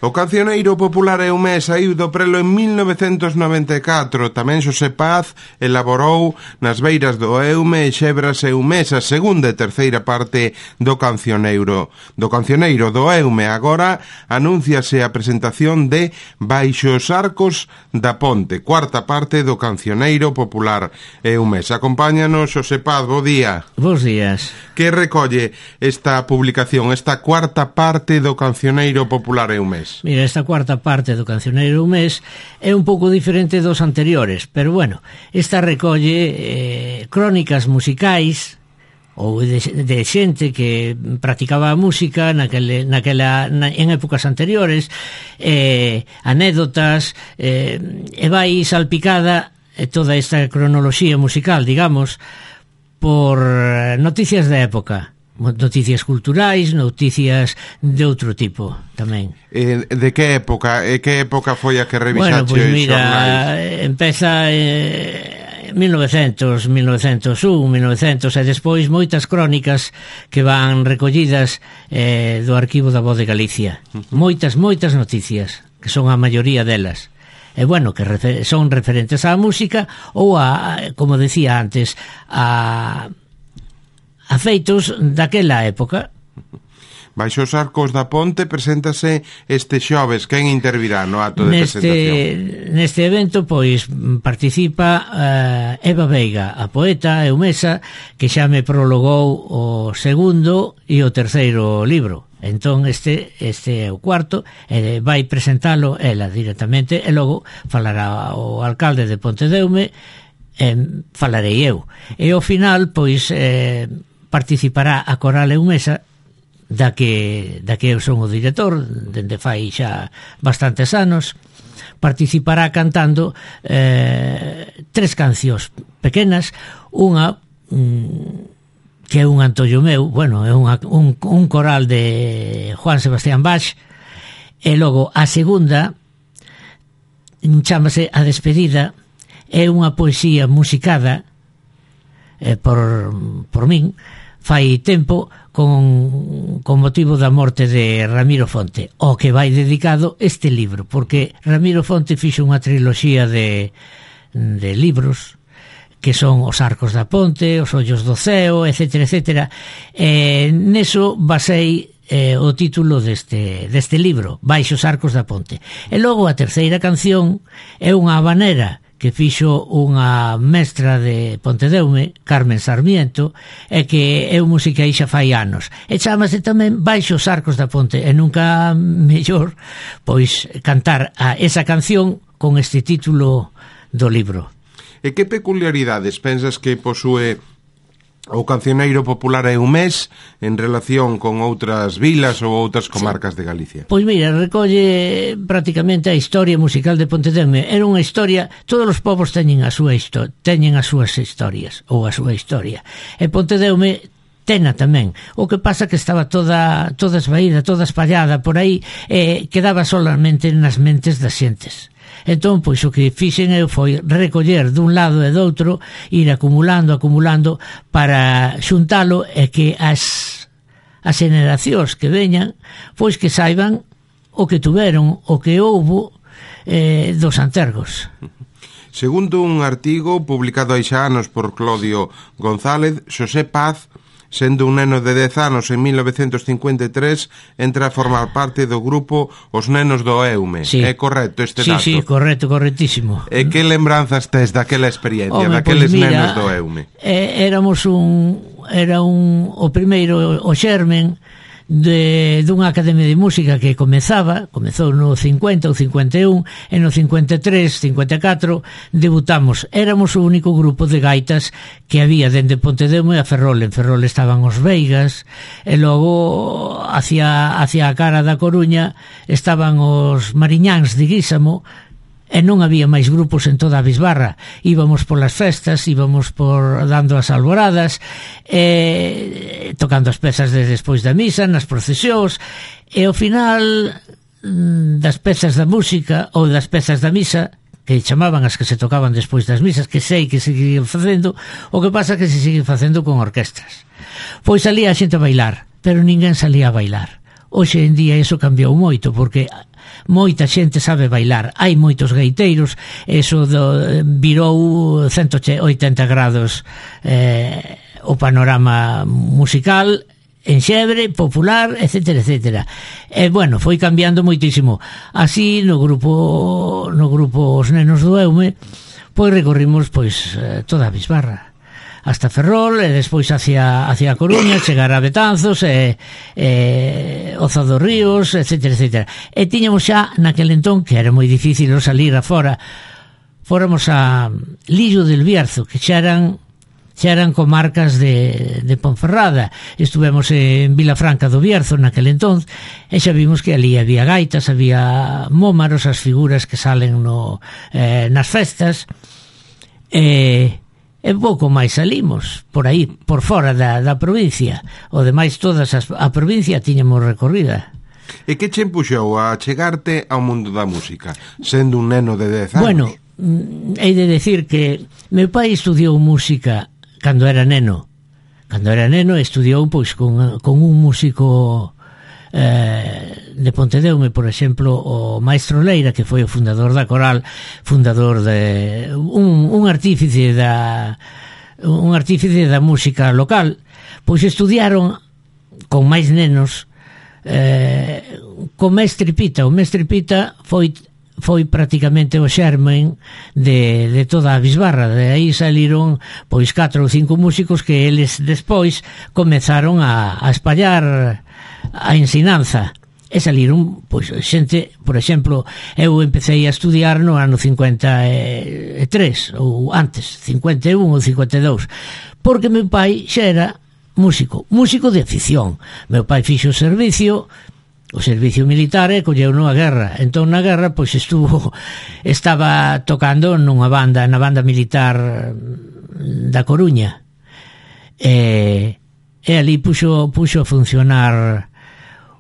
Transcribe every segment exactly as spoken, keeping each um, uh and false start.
O cancioneiro popular Eumés saíu do prelo en mil novecentos noventa e catro. Tamén Xosé Paz elaborou Nas beiras do Eume e Xebras Eumés, a segunda e terceira parte do cancioneiro. Do cancioneiro do Eume agora anúnciase a presentación de Baixo os arcos da ponte, cuarta parte do cancioneiro popular Eumés. Acompáñanos Xosé Paz, bo día. Bos días. Que recolle esta publicación, esta cuarta parte do cancioneiro popular Eumés? Mira, esta cuarta parte do cancioneiro Eumés é un pouco diferente dos anteriores, pero bueno, esta recolle eh, crónicas musicais ou de, de xente que practicaba a música naquele, naquela, na, en épocas anteriores, eh, anécdotas, eh, e vai salpicada eh, toda esta cronoloxía musical, digamos, por noticias da época. Noticias culturais, noticias de outro tipo tamén. Eh, de que época? E que época foi a que revisaste? Bueno, pois pues mira, empeza en mil novecentos, mil novecentos un, mil novecentos e despois moitas crónicas que van recollidas eh, do arquivo da Voz de Galicia. Uh-huh. Moitas, moitas noticias, que son a maioría delas. E bueno, que refer- son referentes á música ou a, como decía antes, a a feitos daquela época. Baixo os arcos da ponte preséntase este xoves. Quen intervirá no acto de neste, presentación? Neste evento, pois, participa uh, Eva Veiga, a poeta eumesa, que xa me prologou o segundo e o terceiro libro. Entón este este é o cuarto, e vai presentalo ela directamente, e logo falará o alcalde de Pontedeume, e falarei eu. E ao final, pois, eh, participará a coral eumesa, da que, da que eu son o director, dende fai xa bastantes anos. Participará cantando eh, tres cancións pequenas, unha mm, que é un antollo meu, bueno, é unha, un, un coral de Juan Sebastián Bach, e logo a segunda chámase A Despedida, é unha poesía musicada eh, por, por min, fai tempo, con, con motivo da morte de Ramiro Fonte, ao que vai dedicado este libro, porque Ramiro Fonte fixo unha triloxía de, de libros, que son Os arcos da ponte, Os ollos do ceo, etcétera, etcétera. E neso basei eh, o título deste, deste libro, Baixo os arcos da ponte. E logo a terceira canción é unha habanera que fixo unha mestra de Pontedeume, Carmen Sarmiento, e que eu musiquei xa fai anos. E chamase tamén Baixo os arcos da ponte, e nunca mellor pois cantar a esa canción con este título do libro. E que peculiaridades pensas que posúe o cancioneiro popular Eumés en relación con outras vilas ou outras comarcas de Galicia? Pois mira, recolle prácticamente a historia musical de Pontedeume. Era unha historia, todos os povos teñen a súa histo- teñen as súas historias ou a súa historia. E Pontedeume tena tamén. O que pasa que estaba toda toda esvaída, toda espallada por aí, e quedaba solamente nas mentes das xentes. Entón, pois, o que fixen eu foi recoller dun lado e do outro, ir acumulando, acumulando, para xuntalo e que as, as generacións que veñan, pois que saiban o que tuveron, o que houbo eh, dos antergos. Segundo un artigo publicado hai xa anos por Claudio González, Xosé Paz, sendo un neno de dez anos en mil novecentos cincuenta e tres, entra a formar parte do grupo Os Nenos do Eume. Sí. É correcto este sí, dato? Sí, sí, correcto, correctísimo. E que lembranzas tes daquela experiencia, Home, daqueles pois mira, nenos do Eume? Eh, éramos un... Era un... O primeiro, o xermen de dunha academia de música que comezaba, comezou no cincuenta ou cincuenta e un, e no cincuenta e tres, cincuenta e catro debutamos. Éramos o único grupo de gaitas que había dende Pontedeume a Ferrol. En Ferrol estaban os Veigas, e logo hacia, hacia a cara da Coruña estaban os Mariñáns de Guísamo, e non había máis grupos en toda a bisbarra. Íbamos polas festas, íbamos por dando as alboradas, e tocando as pezas de despois da misa, nas procesións, e ao final das pezas da música ou das pezas da misa, que chamaban as que se tocaban despois das misas, que sei que seguían facendo, o que pasa que se siguen facendo con orquestras. Pois salía a xente a bailar, pero ninguén salía a bailar. Hoxe en día iso cambiou moito, porque moita xente sabe bailar, hai moitos gaiteiros, eso do, virou ciento oitenta grados eh, o panorama musical en Xebre, popular, etcétera, etcétera. E, bueno, foi cambiando moitísimo. Así, no grupo no grupo Os Nenos do Eume, pois recorrimos pois toda a Bisbarra hasta Ferrol, e despois hacia, hacia a Coruña, chegar a Betanzos, e, e Oza dos Ríos, etcétera, etcétera. E tiñamos xa naquel entón, que era moi difícil salir afora, fóramos a Lillo del Bierzo, que xa eran xa eran comarcas de, de Ponferrada. Estuvemos en Vilafranca do Bierzo naquel entón, e xa vimos que ali había gaitas, había mómaros, as figuras que salen no, eh, nas festas, e, e pouco máis salimos por aí, por fora da, da provincia. O demais, todas as, a provincia tiñamos recorrida. E que che empuxou a chegarte ao mundo da música, sendo un neno de dez anos? Bueno, hei de decir que meu pai estudiou música cando era neno. Cando era neno estudiou pois con, con un músico eh, de Pontedeume, por exemplo, o Maestro Leira, que foi o fundador da coral, fundador de un, un artífice da un artífice da música local. Pois estudiaron con máis nenos eh, con Mestre Pita. O Mestre Pita foi foi prácticamente o xermen de, de toda a Bisbarra. De aí saliron pois catro ou cinco músicos que eles despois comezaron a, a espallar a ensinanza, e saliron pois xente. Por exemplo, eu empecé a estudiar no ano cincuenta e tres, ou antes, cincuenta e un ou cincuenta e dous, porque meu pai xa era músico, músico de afición. Meu pai fixo o servicio o servicio militar e colleu nunha guerra. Entón na guerra pois estuvo estaba tocando nunha banda, na banda militar da Coruña, e, e ali puxo, puxo a funcionar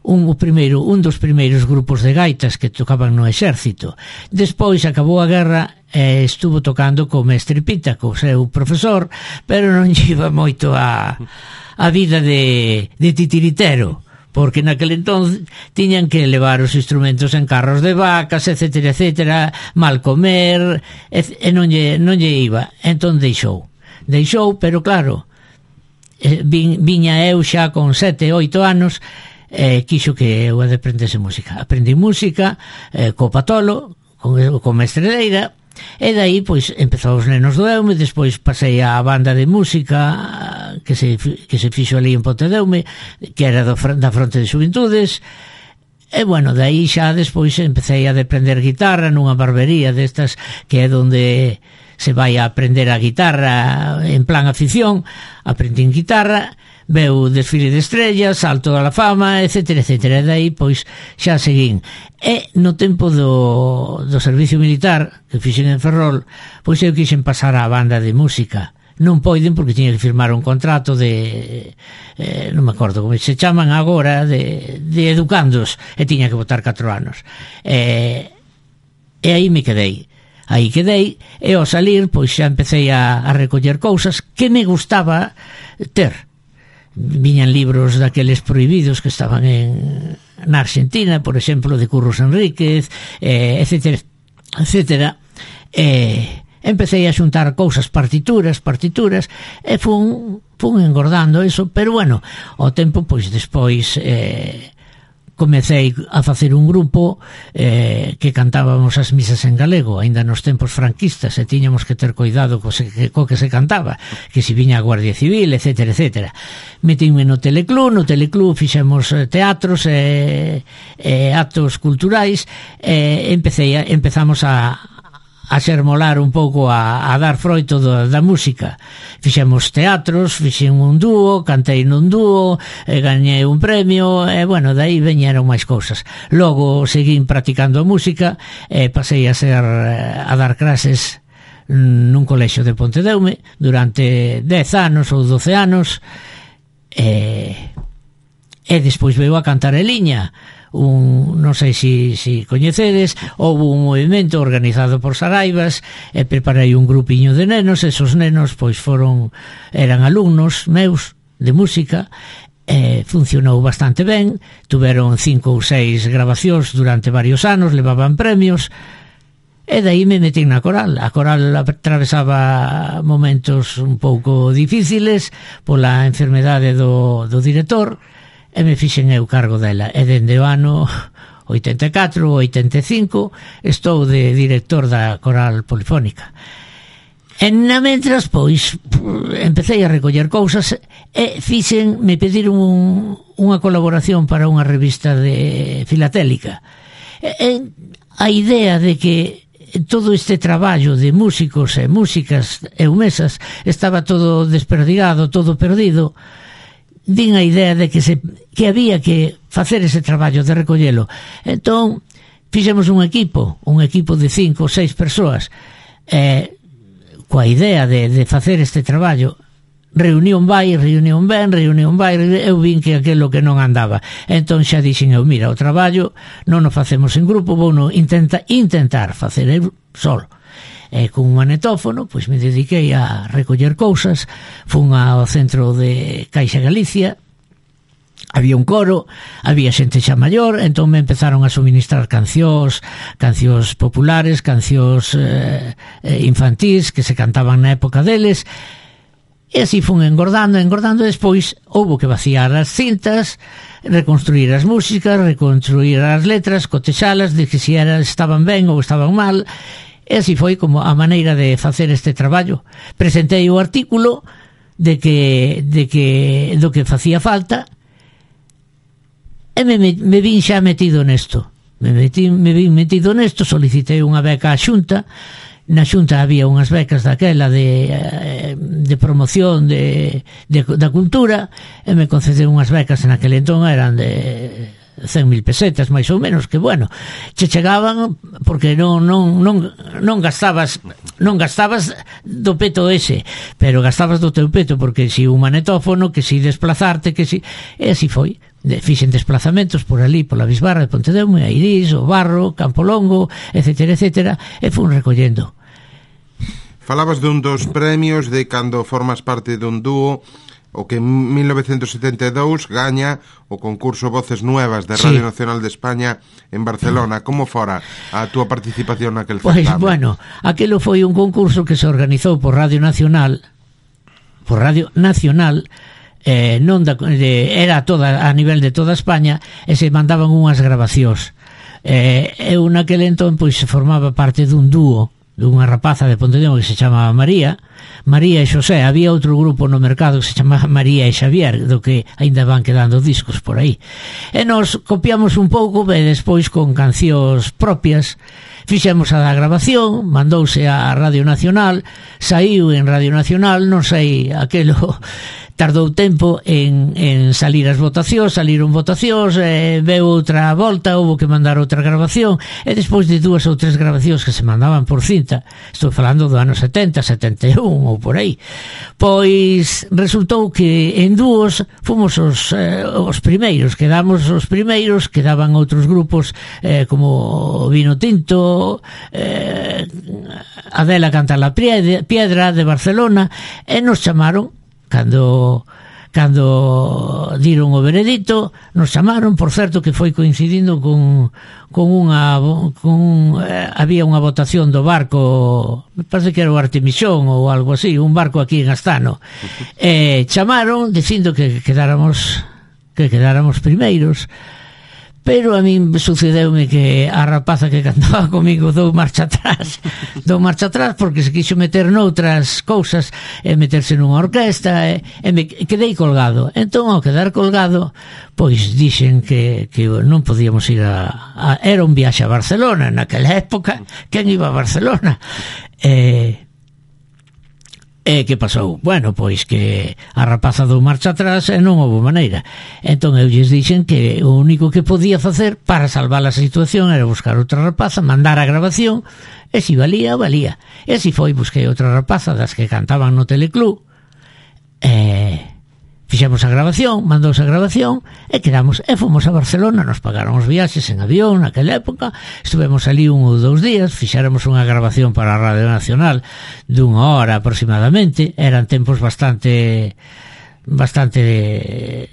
un, o primeiro, un dos primeiros grupos de gaitas que tocaban no exército. Despois acabou a guerra e estuvo tocando co Mestre Pita, co seu profesor, pero non iba moito a, a vida de, de titiritero, porque naquele entón tiñan que levar os instrumentos en carros de vacas, etcétera, etcétera, mal comer, e, e non, lle, non lle iba. Entón deixou. Deixou, pero claro, vin, viña eu xa con sete, oito anos, e quixo que eu aprendese música. Aprendi música eh, co Patolo, con, con Mestre Leira, e dai pois empezou Os Nenos do Eume. Despois pasei á banda de música que se, que se fixo ali en Pontedeume, que era do, da Fronte de Xuventudes, e bueno, dai xa despois empecé a aprender guitarra nunha barbería destas que é onde se vai a aprender a guitarra en plan afición. Aprendín guitarra, veu Desfile de Estrellas, Salto da Fama, etcétera, etcétera. E dai pois xa seguín. E no tempo do, do servicio militar que fixen en Ferrol, pois eu quixen pasar á banda de música. Non poiden porque tiña que firmar un contrato de eh, non me acordo como se chaman agora, de, de educandos, e tiña que botar catro anos. E, e aí me quedei. Aí quedei, e ao salir pois xa empecé a, a recoller cousas que me gustaba ter. Viñan libros daqueles prohibidos que estaban en na Argentina, por exemplo, de Curros Enríquez, eh, etcétera, etcétera. E empecé a xuntar cousas, partituras, partituras, e fun, fun engordando eso, pero bueno, ao tempo, pois despois eh, comecei a facer un grupo eh, que cantábamos as misas en galego, aínda nos tempos franquistas, e tiñamos que ter cuidado co, se, co que se cantaba, que si viña a Guardia Civil, etcétera, etcétera. Metínme no Teleclub, no Teleclub fixemos teatros e, e actos culturais, e empecé a, empezamos a a xermolar un pouco, a, a dar froito do, da música. Fixemos teatros, fixen un dúo, cantei nun dúo, e gañei un premio, e bueno, dai veñeron máis cousas. Logo seguín practicando a música, e pasei a ser a dar clases nun colexio de Pontedeume durante dez anos ou doce anos, e, e despois veu a cantar en liña. Un, non sei se si, si coñecedes, houve un movimento organizado por Saraivas, e preparei un grupiño de nenos. Esos nenos pois foron, eran alumnos meus de música, eh, funcionou bastante ben, tuveron cinco ou seis grabacións durante varios anos, levaban premios, e daí me metí na coral. A coral atravesaba momentos un pouco difíciles pola enfermedade do, do director, e me fixen eu cargo dela, e dende o ano oitenta e catro, oitenta e cinco estou de director da coral polifónica. E na mentras, pois, empecé a recoller cousas e fixen, me pediron un, unha colaboración para unha revista de filatélica. E, e a idea de que todo este traballo de músicos e músicas eumesas estaba todo desperdigado, todo perdido, din a idea de que se que había que facer ese traballo de recollelo. Entón, fixemos un equipo, un equipo de cinco ou seis persoas, e coa idea de, de facer este traballo. Reunión vai, reunión ven, reunión vai, eu vin que aquilo que non andaba. Entón xa dixen eu, mira, o traballo non o facemos en grupo, vou no intenta, intentar facer eu solo. E con un manetófono, pois me dediquei a recoller cousas, fun ao centro de Caixa Galicia, había un coro, había xente xa maior, entón me empezaron a suministrar cancións, cancións populares, cancións eh, infantís que se cantaban na época deles, e así fun engordando, engordando. Despois houbo que vaciar as cintas, reconstruir as músicas, reconstruir as letras, cotexalas, de que si era, estaban ben ou estaban mal, e así foi como a maneira de facer este traballo. Presentei o artículo de que, de que do que facía falta, e me, me, me vin xa metido nesto. Me, metí, me vin metido nesto, solicitei unha beca á Xunta. Na Xunta había unhas becas daquela de, de promoción de, de, da cultura, e me concedeu unhas becas en aquel entón, eran de cen mil pesetas máis ou menos, que bueno, che chegaban porque non non non non gastabas non gastabas do peto ese, pero gastabas do teu peto, porque si un manetófono, que si desplazarte, que si, e así foi. De, fixen desplazamentos por ali, pola Bisbarra de Pontedeume, a Irís, o Barro, Campolongo, etcétera, etcétera, e fun recollendo. Falabas dun dos premios de cando formas parte dun dúo, o que en mil novecentos setenta e dous gaña o concurso Voces Nuevas de Radio sí. Nacional de España en Barcelona. Como fora a túa participación naquel certamen? Pues, bueno, aquelo foi un concurso que se organizou por Radio Nacional, por Radio Nacional, eh, non da, de, era toda a nivel de toda España, e se mandaban unhas grabacións. Eh, eu naquel entón pois formaba parte dun dúo dunha rapaza de Pontedeume que se chamaba María María e Xosé. Había outro grupo no mercado que se chamaba María e Xavier, do que aínda van quedando discos por aí, e nos copiamos un pouco, e despois con cancións propias fixemos a da grabación, mandouse a Radio Nacional, saiu en Radio Nacional, non sei, aquelo tardou tempo en, en salir as votacións, saliron votacións, eh, veu outra volta, houve que mandar outra grabación, e despois de dúas ou tres grabacións que se mandaban por cinta, estou falando do ano setenta, setenta e un ou por aí, pois resultou que en dúos fomos os, eh, os primeiros, quedamos os primeiros, quedaban outros grupos eh, como Vino Tinto, eh, Adela Canta la Piedra de Barcelona, e nos chamaron cando cando diron o veredito, nos chamaron, por certo que foi coincidindo con, con unha con, eh, había unha votación do barco, me parece que era o Artemisión ou algo así, un barco aquí en Astano, e eh, chamaron dicindo que quedáramos que quedáramos primeiros. Pero a min sucedeume que a rapaza que cantaba comigo dou marcha atrás dou marcha atrás porque se quixo meter noutras cousas e meterse nunha orquesta, e, e me quedei colgado. Entón, ao quedar colgado, pois dixen que, que non podíamos ir a, a era un viaxe a Barcelona naquela época. Quen iba a Barcelona? E E que pasou? Bueno, pois que a rapaza dou marcha atrás e non houve maneira. Entón eu lles dixen que o único que podía facer para salvar a situación era buscar outra rapaza, mandar a grabación, e se valía, valía. E así foi, busquei outra rapaza das que cantaban no Teleclub, e fixemos a grabación, mandouse a grabación, e quedamos, e fomos a Barcelona, nos pagaron os viaxes en avión naquela época, estuvemos ali un ou dous días, fixéramos unha grabación para a Radio Nacional dunha hora aproximadamente, eran tempos bastante bastante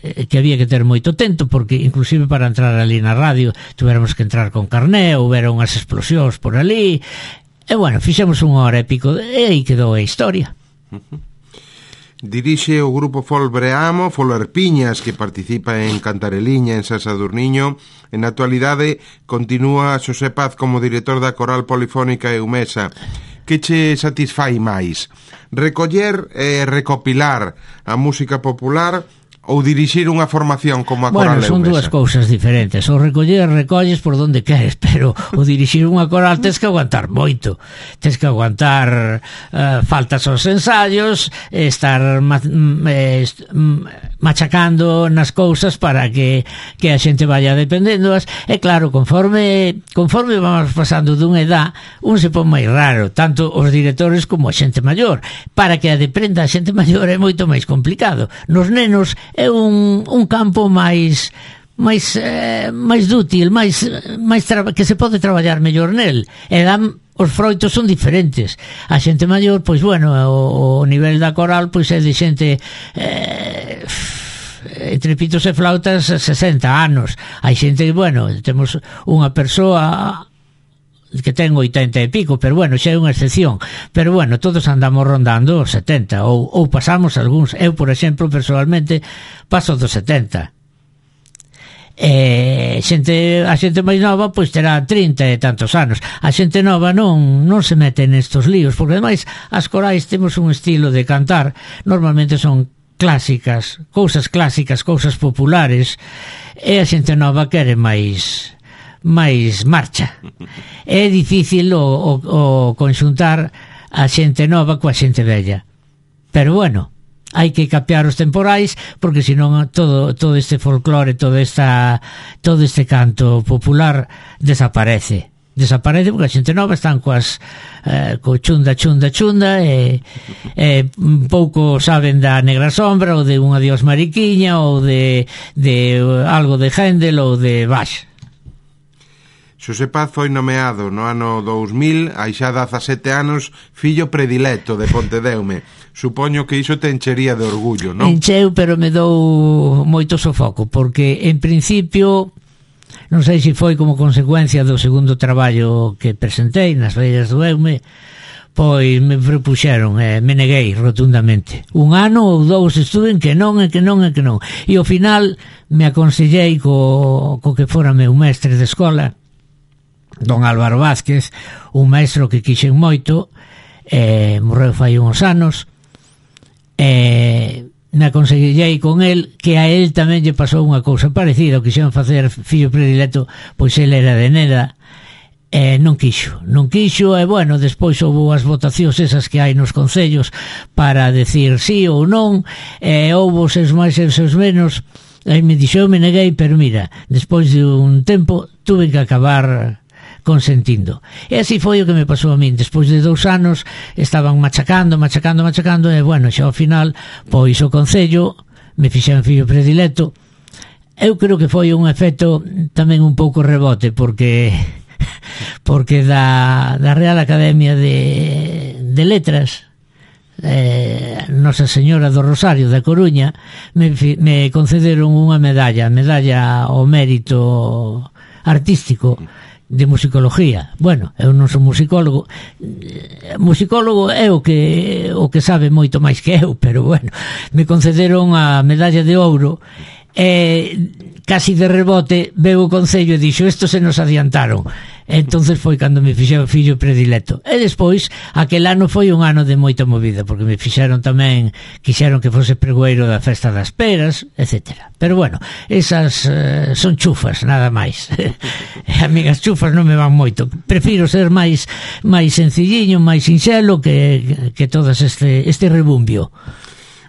eh, que había que ter moito tento, porque inclusive para entrar ali na radio tuveramos que entrar con carné, houberon unhas explosións por ali, e bueno, fixemos unha hora e pico e aí quedou a historia. Uh-huh. Dirixe o grupo Fol Breamo, Folerpiñas, que participa en Cantareliña, en San Sadurniño. En na actualidade continúa Xosé Paz como director da Coral Polifónica Eumesa. Que che satisfai máis? Recoller e recopilar a música popular ou dirixir unha formación como a Coral Eumesa? Bueno, son dúas cousas diferentes. O recoller, recolles por donde queres, pero o dirixir unha coral tens que aguantar moito. Tens que aguantar uh, faltas aos ensayos, estar ma eh, machacando nas cousas para que, que a xente vaya dependendoas. E claro, conforme conforme vamos pasando dunha edad, un se pon máis raro, tanto os directores como a xente maior. Para que a deprenda a xente maior é moito máis complicado. Nos nenos é un, un campo máis máis eh, máis dútil, máis, máis que se pode traballar mellor nel, e dan, os froitos son diferentes. A xente maior, pois bueno, o, o nivel da coral pois é de xente eh, entre pitos e flautas sesenta anos. Hai xente, bueno, temos unha persoa que ten oitenta e pico, pero bueno, xa é unha excepción, pero bueno, todos andamos rondando os setenta, ou, ou pasamos algúns. Eu, por exemplo, personalmente paso dos setenta. E xente, a xente máis nova pois terá trinta e tantos anos. A xente nova non, non se mete nestos líos, porque ademais as corais temos un estilo de cantar, normalmente son clásicas, cousas clásicas, cousas populares, e a xente nova quere máis máis marcha. É difícil o, o, o conxuntar a xente nova coa xente vella, pero bueno, hai que capear os temporais, porque senón todo, todo este folclore, todo, esta, todo este canto popular desaparece desaparece porque a xente nova están coas eh, co chunda, chunda, chunda e, e pouco saben da Negra Sombra ou de un Adiós Mariquiña ou de, de algo de Händel ou de Bach. Xosé Paz foi nomeado no ano dous mil, hai xa dezasete anos, fillo predilecto de Pontedeume. Supoño que iso te enchería de orgullo, non? Encheu, pero me dou moito sofoco, porque en principio, non sei se foi como consecuencia do segundo traballo que presentei nas Beiras do Eume, pois me propuxeron, eh, me neguei rotundamente. Un ano ou dous estuve en que non, e que non, e que non. E ao final me aconsellei co, co que fora meu mestre de escola, don Álvaro Vázquez, un maestro que quixen moito, eh, morreu fai uns anos, e me aconsellei con el que a él tamén lle pasou unha cousa parecida, o quixeron facer fillo predilecto, pois el era de Neda, e non quixo, non quixo, e bueno, despois houve as votacións esas que hai nos concellos para decir sí ou non, e houve os seus máis e os seus menos, e me dixo, eu me neguei, pero mira, despois de un tempo tuve que acabar consentindo. E así foi o que me pasou a min. Despois de dous anos estaban machacando, machacando, machacando, e bueno, xa ao final pois o concello me fixeron fillo predilecto. Eu creo que foi un efecto tamén un pouco rebote, porque porque da, da Real Academia de, de Letras, eh, Nosa Señora do Rosario da Coruña, me, me concederon unha medalla, medalla ao mérito artístico de musicología. Bueno, eu non son musicólogo, musicólogo é o que o que sabe moito máis que eu, pero bueno, me concederon a medalla de ouro e casi de rebote veu o concello e dixo, isto se nos adiantaron. Entonces foi cando me fixeron fillo predilecto. E despois, aquel ano foi un ano de moita movida, porque me fixeron tamén, quixeron que fose pregoeiro da Festa das Peras, etcétera. Pero bueno, esas uh, son chufas, nada máis. A mí as chufas non me van moito. Prefiro ser máis máis sencilliño, máis sinxelo que, que todas este, este rebumbio.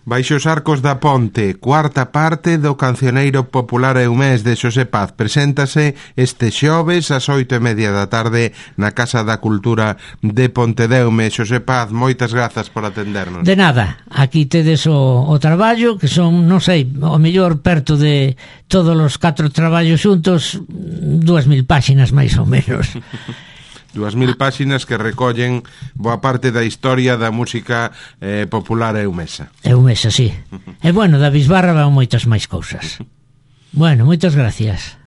Baixo os arcos da ponte, cuarta parte do cancioneiro popular eumés de Xosé Paz. Preséntase este xoves ás oito e media da tarde na Casa da Cultura de Pontedeume. Xosé Paz, moitas grazas por atendernos. De nada, aquí tedes o, o traballo, que son, non sei, o mellor perto de todos os catro traballos xuntos, dúas mil páxinas máis ou menos. Dúas mil páxinas que recollen boa parte da historia da música eh, popular eumesa. Eumesa, sí. E bueno, da Bisbarra van moitas máis cousas. Bueno, moitas gracias.